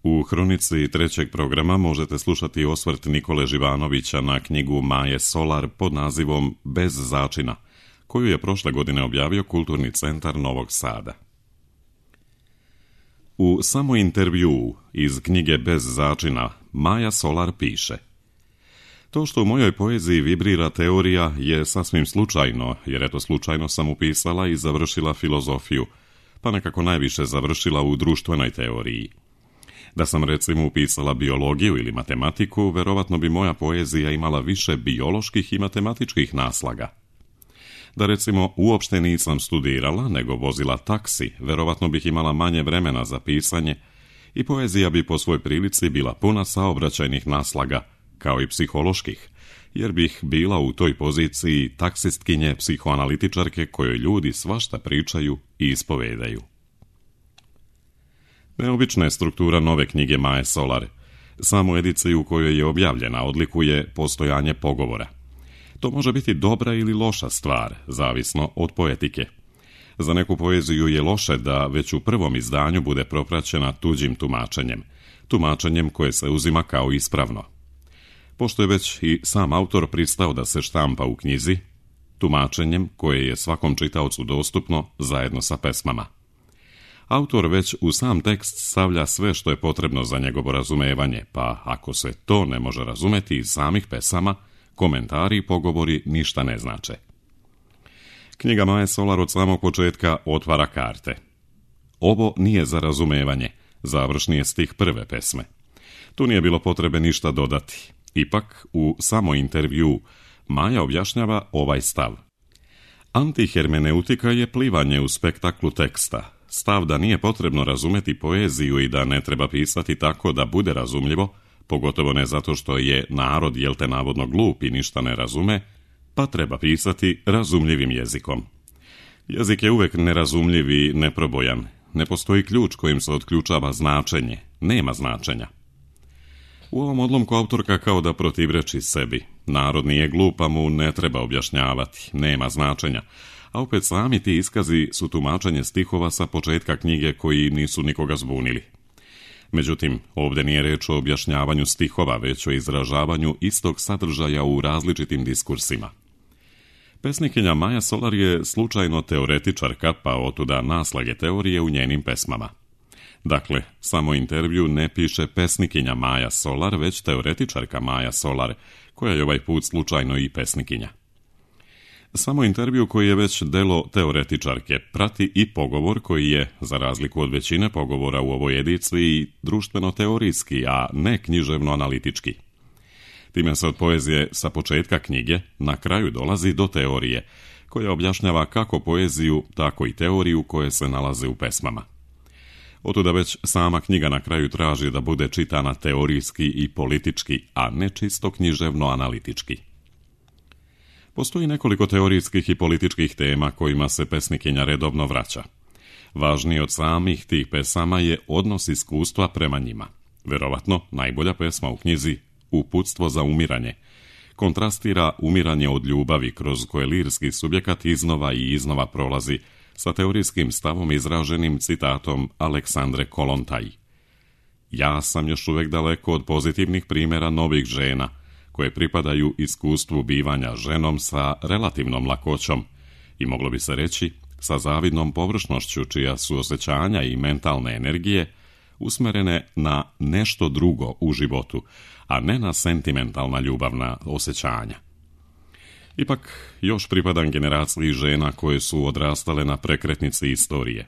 U hronici trećeg programa možete slušati osvrt Nikole Živanovića na knjigu Maje Solar pod nazivom Bez začina, koju je prošle godine objavio Kulturni centar Novog Sada. U samointervjuu iz knjige Bez začina Maja Solar piše: To što u mojoj poeziji vibrira teorija je sasvim slučajno, jer eto slučajno sam upisala i završila filozofiju, pa nekako najviše završila u društvenoj teoriji. Da sam recimo upisala biologiju ili matematiku, verovatno bi moja poezija imala više bioloških i matematičkih naslaga. Da recimo uopšte nisam studirala, nego vozila taksi, verovatno bih imala manje vremena za pisanje i poezija bi po svoj prilici bila puna saobraćajnih naslaga, kao i psiholoških, jer bih bila u toj poziciji taksistkinje psihoanalitičarke kojoj ljudi svašta pričaju i ispovedaju. Neobična je struktura nove knjige Maje Solar. Samu ediciju u kojoj je objavljena odlikuje postojanje pogovora. To može biti dobra ili loša stvar, zavisno od poetike. Za neku poeziju je loše da već u prvom izdanju bude propraćena tuđim tumačenjem koje se uzima kao ispravno. Pošto je već i sam autor pristao da se štampa u knjizi, tumačenjem koje je svakom čitaocu dostupno zajedno sa pesmama. Autor već u sam tekst stavlja sve što je potrebno za njegovo razumevanje, pa ako se to ne može razumeti iz samih pesama, komentari i pogovori ništa ne znače. Knjiga Maje Solar od samog početka otvara karte. Ovo nije za razumevanje, završni je stih prve pesme. Tu nije bilo potrebe ništa dodati. Ipak, u samointervjuu Maja objašnjava ovaj stav. Antihermeneutika je plivanje u spektaklu teksta. Stav da nije potrebno razumeti poeziju i da ne treba pisati tako da bude razumljivo, pogotovo ne zato što je narod jelte navodno glup i ništa ne razume, pa treba pisati razumljivim jezikom. Jezik je uvek nerazumljiv i neprobojan. Ne postoji ključ kojim se otključava značenje. Nema značenja. U ovom odlomku autorka kao da protivreči sebi. Narod nije glup, pa mu ne treba objašnjavati. Nema značenja. A opet sami ti iskazi su tumačenje stihova sa početka knjige koji nisu nikoga zbunili. Međutim, ovdje nije reč o objašnjavanju stihova, već o izražavanju istog sadržaja u različitim diskursima. Pesnikinja Maja Solar je slučajno teoretičarka, pa otuda naslage teorije u njenim pesmama. Dakle, samo intervju ne piše pesnikinja Maja Solar, već teoretičarka Maja Solar, koja je ovaj put slučajno i pesnikinja. Samo intervju koji je već delo teoretičarke prati i pogovor koji je, za razliku od većine pogovora u ovoj ediciji, društveno-teorijski, a ne književno-analitički. Time se od poezije sa početka knjige na kraju dolazi do teorije, koja objašnjava kako poeziju, tako i teoriju koje se nalaze u pesmama. Otuda već sama knjiga na kraju traži da bude čitana teorijski i politički, a ne čisto književno-analitički. Postoji nekoliko teorijskih i političkih tema kojima se pesnikinja redovno vraća. Važniji od samih tih pesama je odnos iskustva prema njima. Verovatno najbolja pesma u knjizi, Uputstvo za umiranje, kontrastira umiranje od ljubavi kroz koje lirski subjekat iznova i iznova prolazi sa teorijskim stavom izraženim citatom Aleksandre Kolontaj. Ja sam još uvek daleko od pozitivnih primjera novih žena, koje pripadaju iskustvu bivanja ženom sa relativnom lakoćom i moglo bi se reći sa zavidnom površnošću čija su osjećanja i mentalne energije usmerene na nešto drugo u životu, a ne na sentimentalna ljubavna osjećanja. Ipak, još pripadam generaciji žena koje su odrastale na prekretnici istorije.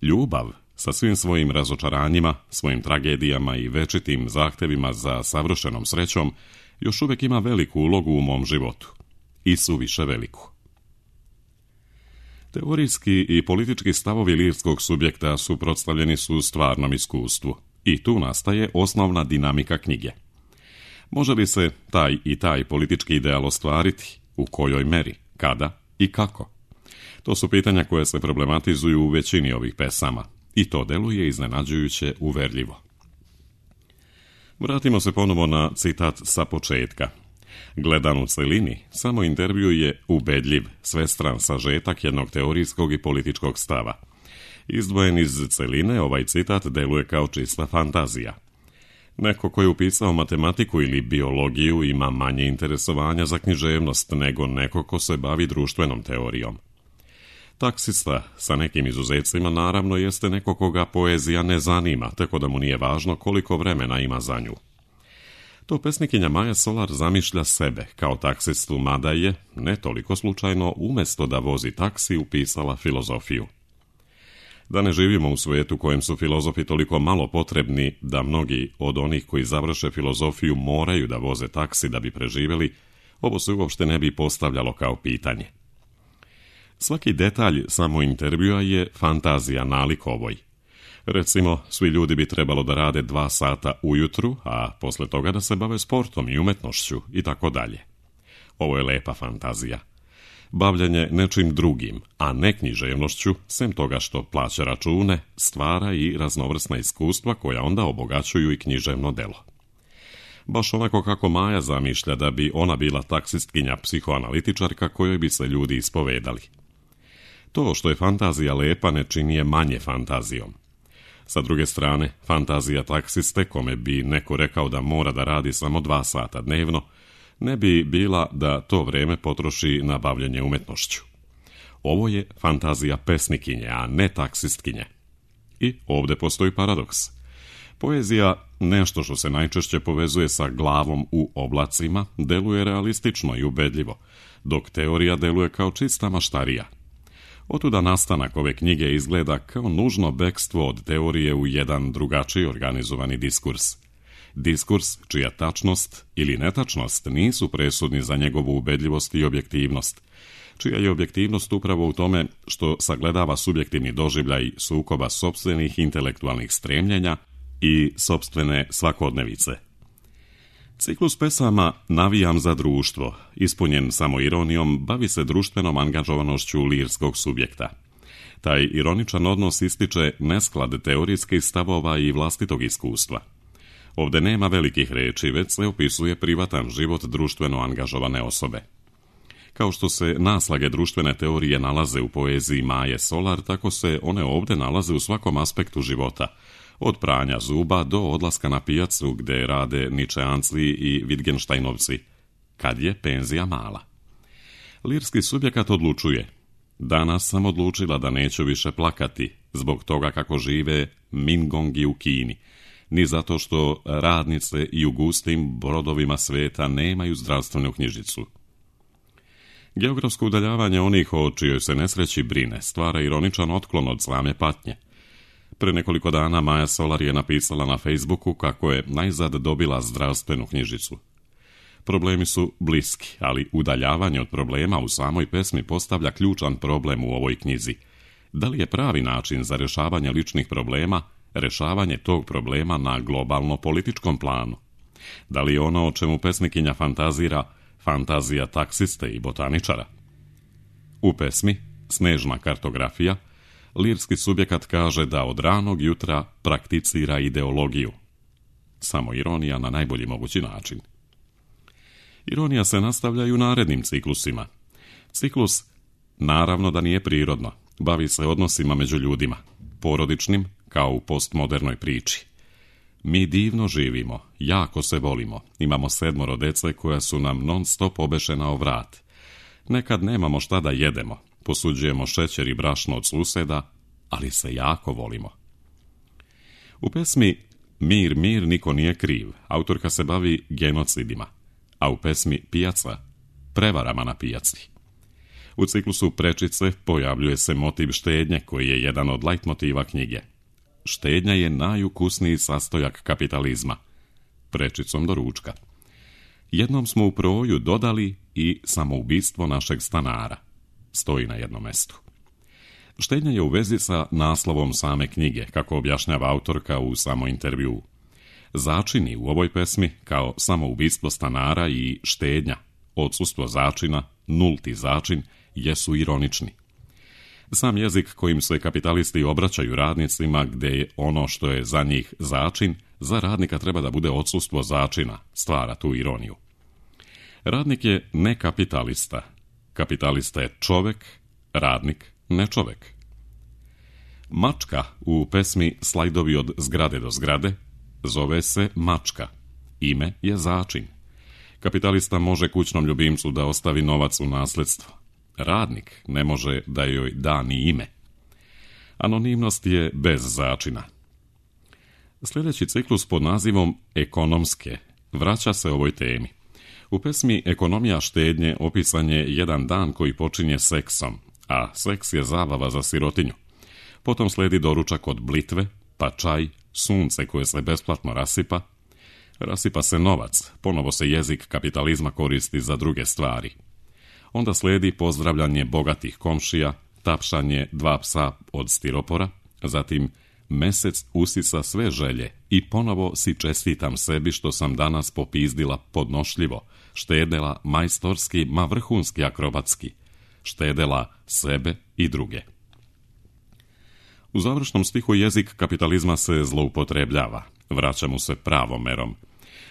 Ljubav, sa svim svojim razočaranjima, svojim tragedijama i večitim zahtevima za savršenom srećom, još uvijek ima veliku ulogu u mom životu. I suviše veliku. Teorijski i politički stavovi lirskog subjekta suprotstavljeni su stvarnom iskustvu. I tu nastaje osnovna dinamika knjige. Može li se taj i taj politički ideal ostvariti? U kojoj meri? Kada? I kako? To su pitanja koje se problematizuju u većini ovih pesama. I to deluje iznenađujuće uverljivo. Vratimo se ponovo na citat sa početka. Gledan u celini, samo intervju je ubedljiv, svestran sažetak jednog teorijskog i političkog stava. Izdvojen iz celine, ovaj citat deluje kao čista fantazija. Neko ko je upisao matematiku ili biologiju ima manje interesovanja za književnost nego neko ko se bavi društvenom teorijom. Taksista, sa nekim izuzecima, naravno jeste neko koga poezija ne zanima, tako da mu nije važno koliko vremena ima za nju. To pesnikinja Maja Solar zamišlja sebe kao taksistu, mada je, ne toliko slučajno, umjesto da vozi taksi, upisala filozofiju. Da ne živimo u svijetu kojem su filozofi toliko malo potrebni da mnogi od onih koji završe filozofiju moraju da voze taksi da bi preživjeli, ovo se uopšte ne bi postavljalo kao pitanje. Svaki detalj samo intervjua je fantazija nalik ovoj. Recimo, svi ljudi bi trebalo da rade 2 sata ujutru, a posle toga da se bave sportom i umetnošću i tako dalje. Ovo je lepa fantazija. Bavljanje nečim drugim, a ne književnošću, sem toga što plaća račune, stvara i raznovrsna iskustva koja onda obogaćuju i književno delo. Baš onako kako Maja zamišlja da bi ona bila taksistkinja psihoanalitičarka kojoj bi se ljudi ispovedali. To što je fantazija lepa ne čini je manje fantazijom. Sa druge strane, fantazija taksiste, kome bi neko rekao da mora da radi samo 2 sata dnevno, ne bi bila da to vreme potroši na bavljenje umetnošću. Ovo je fantazija pesnikinje, a ne taksistkinje. I ovdje postoji paradoks. Poezija, nešto što se najčešće povezuje sa glavom u oblacima, deluje realistično i ubedljivo, dok teorija deluje kao čista maštarija. Otuda nastanak ove knjige izgleda kao nužno bekstvo od teorije u jedan drugačiji organizovani diskurs. Diskurs čija tačnost ili netačnost nisu presudni za njegovu ubedljivost i objektivnost, čija je objektivnost upravo u tome što sagledava subjektivni doživljaj sukoba sopstvenih intelektualnih stremljenja i sopstvene svakodnevice. Ciklus pesama Navijam za društvo, ispunjen samo ironijom, bavi se društvenom angažovanošću lirskog subjekta. Taj ironičan odnos ističe nesklad teorijskih stavova i vlastitog iskustva. Ovdje nema velikih reči, već se opisuje privatan život društveno angažovane osobe. Kao što se naslage društvene teorije nalaze u poeziji Maje Solar, tako se one ovdje nalaze u svakom aspektu života, od pranja zuba do odlaska na pijacu gdje rade Ničeanci i Wittgensteinovci, kad je penzija mala. Lirski subjekat odlučuje: danas sam odlučila da neću više plakati zbog toga kako žive Mingongi u Kini, ni zato što radnice i u gustim brodovima sveta nemaju zdravstvenu knjižicu. Geografsko udaljavanje onih o čijoj se nesreći brine stvara ironičan otklon od same patnje. Pre nekoliko dana Maja Solar je napisala na Facebooku kako je najzad dobila zdravstvenu knjižicu. Problemi su bliski, ali udaljavanje od problema u samoj pesmi postavlja ključan problem u ovoj knjizi. Da li je pravi način za rješavanje ličnih problema rješavanje tog problema na globalno-političkom planu? Da li je ono o čemu pesnikinja fantazira fantazija taksiste i botaničara? U pesmi Snežna kartografija lirski subjekat kaže da od ranog jutra prakticira ideologiju. Samo ironija na najbolji mogući način. Ironija se nastavlja i u narednim ciklusima. Ciklus naravno da nije prirodno, bavi se odnosima među ljudima, porodičnim kao u postmodernoj priči. Mi divno živimo, jako se volimo, imamo 7 dece koja su nam non stop obešena o vrat. Nekad nemamo šta da jedemo, posuđujemo šećer i brašno od suseda, ali se jako volimo. U pesmi Mir, mir, niko nije kriv autorka se bavi genocidima, a u pesmi Pijaca prevarama na pijaci. U ciklusu Prečice pojavljuje se motiv štednje koji je jedan od lajtmotiva knjige. Štednja je najukusniji sastojak kapitalizma. Prečicom do ručka. Jednom smo u proju dodali i samoubistvo našeg stanara. Stoji na jednom mestu. Štednja je u vezi sa naslovom same knjige, kako objašnjava autorka u samointervjuu. Začini u ovoj pesmi, kao samoubistvo stanara i štednja, odsustvo začina, nulti začin, jesu ironični. Sam jezik kojim se kapitalisti obraćaju radnicima, gdje je ono što je za njih začin, za radnika treba da bude odsustvo začina, stvara tu ironiju. Radnik je ne kapitalista. Kapitalista je čovek, radnik ne čovek. Mačka u pesmi Slajdovi od zgrade do zgrade zove se Mačka. Ime je začin. Kapitalista može kućnom ljubimcu da ostavi novac u nasljedstvo. Radnik ne može da joj da ni ime. Anonimnost je bez začina. Sljedeći ciklus pod nazivom Ekonomske vraća se ovoj temi. U pesmi Ekonomija štednje opisan je jedan dan koji počinje seksom, a seks je zabava za sirotinju. Potom slijedi doručak od blitve, pa čaj, sunce koje se besplatno rasipa. Rasipa se novac, ponovo se jezik kapitalizma koristi za druge stvari. Onda slijedi pozdravljanje bogatih komšija, tapšanje 2 psa od stiropora, zatim mesec usisa sve želje i ponovo si čestitam sebi što sam danas popizdila podnošljivo, štedela majstorski, ma vrhunski akrobatski, štedela sebe i druge. U završnom stihu jezik kapitalizma se zloupotrebljava, vraća mu se pravom merom.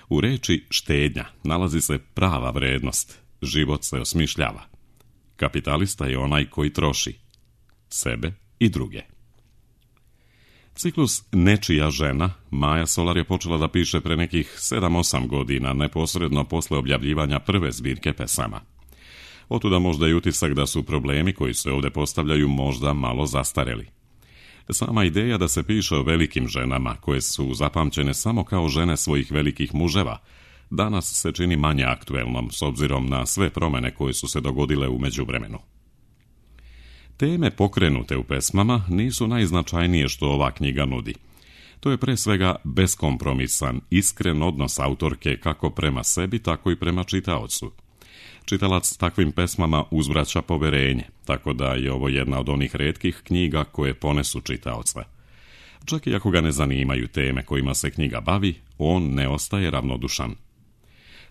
U reči štednja nalazi se prava vrednost, život se osmišljava. Kapitalista je onaj koji troši sebe i druge. Ciklus Nečija žena Maja Solar je počela da piše pre nekih 7-8 godina, neposredno posle objavljivanja prve zbirke pesama. Otuda možda i utisak da su problemi koji se ovdje postavljaju možda malo zastareli. Sama ideja da se piše o velikim ženama, koje su zapamćene samo kao žene svojih velikih muževa, danas se čini manje aktuelnom s obzirom na sve promjene koje su se dogodile u međuvremenu. Teme pokrenute u pesmama nisu najznačajnije što ova knjiga nudi. To je pre svega beskompromisan, iskren odnos autorke kako prema sebi, tako i prema čitaocu. Čitalac takvim pesmama uzvraća poverenje, tako da je ovo jedna od onih retkih knjiga koje ponesu čitaoca. Čak i ako ga ne zanimaju teme kojima se knjiga bavi, on ne ostaje ravnodušan.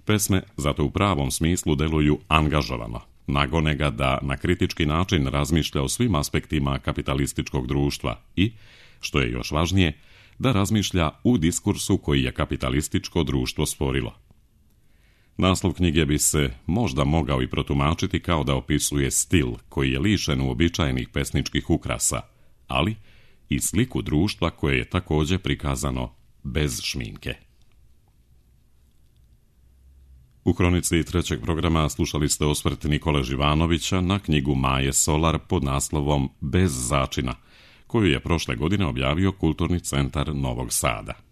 Pesme zato u pravom smislu deluju angažovano, nagone ga da na kritički način razmišlja o svim aspektima kapitalističkog društva i, što je još važnije, da razmišlja u diskursu koji je kapitalističko društvo stvorilo. Naslov knjige bi se možda mogao i protumačiti kao da opisuje stil koji je lišen uobičajenih pesničkih ukrasa, ali i sliku društva koje je također prikazano bez šminke. U kronici 3. programa slušali ste osvrt Nikole Živanovića na knjigu Maje Solar pod naslovom Bez začina, koju je prošle godine objavio Kulturni centar Novog Sada.